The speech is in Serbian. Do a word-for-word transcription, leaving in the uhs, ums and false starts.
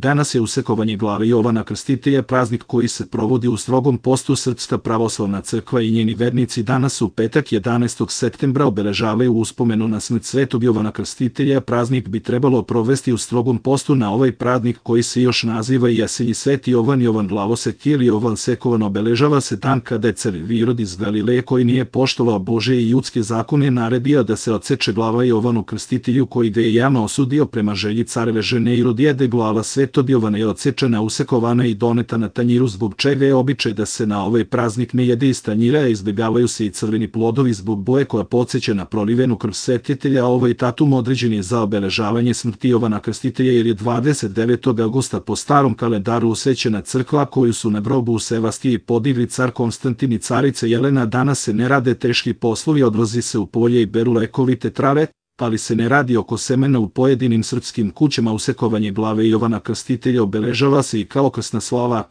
Danas je usekovanje glave Jovana Krstitelja praznik koji se provodi u strogom postu. Srpska pravoslavna crkva i njeni vernici danas u petak jedanaestog septembra obeležavaju uspomenu na smrt Svetog Jovana Krstitelja. Praznik bi trebalo provesti u strogom postu. Na ovaj praznik, koji se još naziva i Jasenji Sveti Jovan, Jovan Glavosek ili Jovan Sekovan, obeležava se dan kada je car Irod iz Galileje, koji nije poštovao Božje i ljudske zakone, naredio da se odseče glava Jovanu Krstitelju, koji ga je javno osudio. Prema želji careve žene Irodijede, glava Svetog Jovana je odsečena, usekovana i doneta na tanjiru, zbog čega je običaj da se na ovaj praznik ne jede iz tanjira, a izbjegavaju se i crveni plodovi zbog boje koja podsjeća na prolivenu krv svetitelja. Ovaj datum određen je za obeležavanje smrti Jovana Krstitelja jer je dvadeset devetog avgusta po starom kalendaru usvećena crkva koju su na grobu u Sevastiji podigli car Konstantin i carica Jelena. Danas se ne rade teški poslovi, odlazi se u polje i beru lekovite trave, ali se ne radi oko semena. U pojedinim srpskim kućama usekovanje glave Jovana Krstitelja obeležava se i kao krsna slava.